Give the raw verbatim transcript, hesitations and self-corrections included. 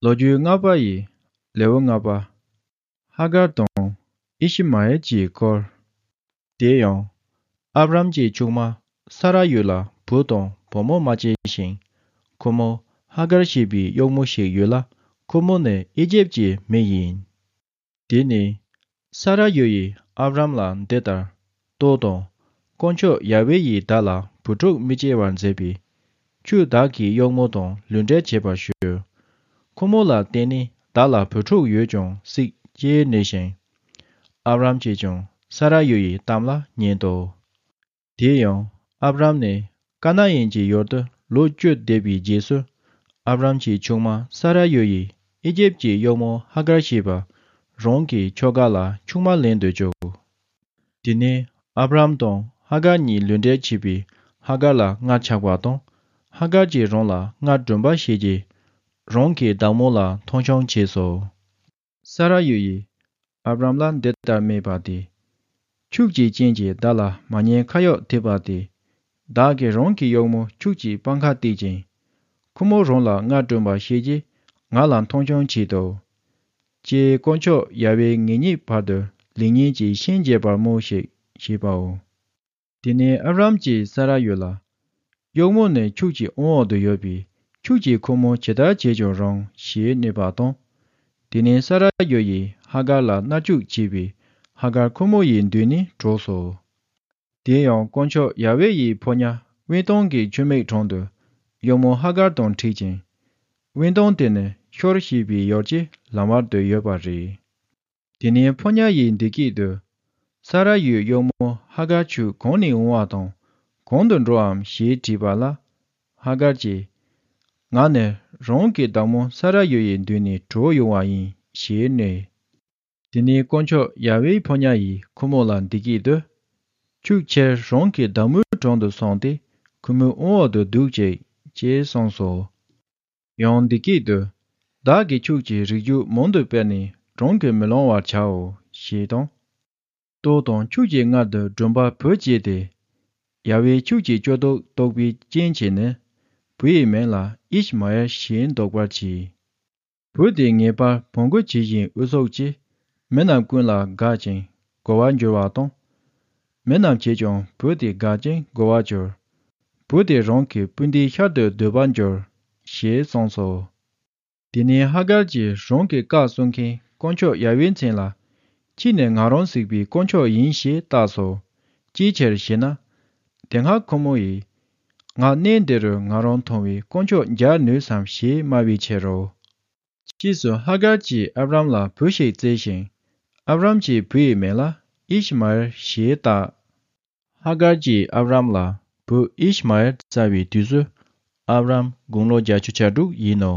ལོ་རྒྱུས་ལྔ་པ་ཡི་ལེའུ་ལྔ་པ། ཧ་གར་དང་ཨི་ཤི་མ་ཨེལ་གྱི་སྐོར། དེ་ཡང་ཨབ་རམ་གྱི་ཆུང་མ་ས་ར་ཡུལ་ལ་བུ་དང་བུ་མོ་མ་སྐྱེས་ཤིང་། ཁོ་མོ་ཧ་གར་ཞེས་པའི་གཡོག་མོ་ཞིག་ཡོད་ལ། ཁོ་མོ་ནི་ཨི་ཇེབ་ཀྱི་མི་ཡིན། དེ་ནས་ས་ར་ཡུལ་ཡིས་ཨབ་རམ་ལ་འདི་ལྟར། ལྟོས་དང་། དཀོན་མཆོག་ཡ་ཝེ་ཡིས་བདག་ལ་བུ་ཕྲུག་མི་སྐྱེ་བར་མཛད་པས། ཁྱོད་བདག་གི་གཡོག་མོ་དང་ལུས་འབྲེལ་བྱེད་པར་ཞུ། ཁོ་མོ་ལ་བརྟེན་ནས་བདག་ལ་བུ་ཕྲུག་ཡོད་ཀྱང་སྲིད་ཅེས་སྨྲས་ཤིང་། ཨབ་རམ་གྱིས་ཀྱང་ས་ར་ཡུལ་ཡི་གཏམ་ལ་ཉན་ཏོ། དེ་ཡང་ཨབ་རམ་ནི་ཀ་ན་ཨན་གྱི་ཡུལ་དུ་ལོ་བཅུ་བསྡད་པའི་རྗེས་སུ། ཨབ་རམ་གྱི་ཆུང་མ་ས་ར་ཡུལ་ཡིས་ཨི་ཇེབ་ཀྱི་གཡོག་མོ་ཧ་གར་ཞེས་པ་རང་གི་ཁྱོ་ག་ལ་ཆུང་མ་ལེན་དུ་བཅུག་དེ་ནས་ཨབ་རམ་དང་ཧ་གར་གཉིས་ལུས་འབྲེལ་བྱས་པས། ཧ་གར་ལ་མངལ་ཆགས་པ་དང་། ཧ་གར་གྱིས་རང་ལ་མངལ་སྦྲུམ་པ་བྱས་རྗེས། རང་གི་བདག་མོ་ལ་མཐོང་ཆུང་བྱས་སོ། ས་ར་ཡུལ་ཡིས་ཨབ་རམ་ལ་འདི་ལྟར་སྨྲས་པ་སྟེ། ཁྱོད་ཀྱི་རྐྱེན་གྱིས་བདག་ལ་མ་ཉེས་ཁ་གཡོག་ཐེབས་པ་སྟེ། བདག་གིས་རང་གི་གཡོག་མོ་ཁྱོད་ཀྱི་པང་ཁར་བཏེག་ཅིང་། ཁོ་མོ་རང་ལ་མངལ་སྦྲུམ་པ་བྱས་རྗེས་ང་ལ་མཐོང་ཆུང་བྱས་ཏོ། ཅེས་དཀོན་མཆོག་ཡ་ཝེ་ངེད་གཉིས་བར་དུ་ལེགས་ཉེས་ཀྱི་ཤན་འབྱེད་པར་སྨྲོས་ཤིག་ཞེས་པའོ། དེ་ནས་ཨབ་རམ་གྱིས་ས་ར་ཡུལ་ལ། གཡོག་མོ་ནི་ཁྱོད་ཀྱི་དབང་འོག་ཏུ་ཡོད་པས། ཁྱོད་ཀྱིས་ཁོ་མོ་ཇི་ལྟར་བྱས་ཀྱང་རུང་ཞེས་སྨྲས་པ་དང་། དེ་ནས་ས་ར་ཡུལ་ཡིས་ཧ་གར་ལ་མནར་གཅོད་བྱས་པས། ཧ་གར་ཁོ་མོ་ཡི་མདུན་ནས་བྲོས་སོ། དེ་ཡང་དཀོན་མཆོག་ཡ་ཝེ་ཡི་ཕོ་ཉ་དབེན་སྟོང་གི་ཆུ་མིག་དྲུང་དུ་གཡོག་མོ་ཧ་གར་དང་འཕྲད་ཅིང་། དབེན་སྟོང་དེ་ནི་ཤོར་ཞེས་པའི་ཡུལ་གྱི་ལམ་བར་དུ་ཡོད་པ་རེད། དེ་ནས་ཕོ་ཉ་ཡིས་འདི་སྐད་དུ། ས་ར་ཡུལ་གཡོག་མོ་ཧ་གར་ཁྱོད་གང་ནས་འོང་བ་དང་གང་དུ་འགྲོའམ་ཞེས་དྲིས་པ་ལ། ཧ་གར་གྱིས། ང་ནི་རང་གི་བདག་མོ་ས་ར་ཡུལ་ཡི་མདུན་ནས་བྲོས་ཡོང་བ་ཡིན་ཞེས་སྨྲས། དེ་ནས་དཀོན་མཆོག་ཡ་ཝེའི་ཕོ་ཉ་ཡིས་ཁོ་མོ་ལ་འདི་སྐད་དུ། ཁྱོད་ཕྱིར་རང་གི་བདག་མོའི་དྲུང་དུ་སོང་སྟེ་ཁོ་མོའི་དབང་འོག་ཏུ་འདུག་ཅིག་ཅེས་གསུངས་སོ། ཡང་འདི་སྐད་དུ། བདག་གིས་ཁྱོད་ཀྱི་རིགས་རྒྱུད་མང་དུ་སྤེལ་ནས་རང་གིས་མི་ལང་བར་བྱའོ་ཞེས་དང་། ལྟོས་དང་། ཁྱོད་ཀྱི་མངལ་དུ་སྦྲུམ་པ་བུ་སྐྱེས་ཏེ། ཡ་ཝེས་ཁྱོད་ཀྱི་སྐྱེ་སྟོབས་རྟོགས་པའི་རྐྱེན་གྱིས་ནི། བུ་ཡི་མིང་ལ་ཨིཤ་མ་ཨེལ་ཞེས་འདོགས་པར་གྱིས། བུ་དེ་ངེས་པར་བོང་གུ་ཇི་བཞིན་དབུ་སོགས་ཀྱིས་མི་རྣམས་ཀུན་ལ་དགའ་ཅིང་མགོ་བར་འགྱུར་བ་དང་། མི་རྣམས་ཀྱིས་ཀྱང་བུ་དེ་དགའ་ཅིང་མགོ་བར་གྱུར། བུ་དེ་རང་གི་སྤུན་ཟླའི་ཤར་དུ་སྡོད་པར་འགྱུར། ཞེས་གསུངས་སོ། དེ་ནས་ཧ་གར་གྱིས་རང་གི་བཀའ་སྲུང་མཁན་དཀོན་མཆོག་ཡ་ཝེའི་མཚན་ལ། ཁྱེད་ནི་ང་རང་གཟིགས་པའི་དཀོན་མཆོག་ཡིན་ཞེས་བཏགས་སོ། ཅིའི་ཕྱིར་ཞེ་ན། དེ་སྔ་ཁོ་མོ་ཡིས། ང་གནས་འདི་རུ་ང་རང་མཐོང་བའི་དཀོན་མཆོག་མཇལ་ནུས་སམ་ཞེས་སྨྲ་བའི་ཕྱིར་རོ། ཕྱིས་སུ་ཧ་གར་གྱིས་ཨབ་རམ་ལ་བུ་ཞིག་བཙས་ཤིང་། ཨབ་རམ་གྱིས་བུ་ཡི་མིང་ལ་ཨིཤ་མ་ཨེལ་ཞེས་བཏགས། ཧ་གར་གྱིས་ཨབ་རམ་ལ་བུ་ཨིཤ་མ་ཨེལ་བཙའ་བའི་དུས་སུ་ཨབ་རམ་དགུང་ལོ་བརྒྱད་ཅུ་གྱ་དྲུག་ཡིན་ནོ།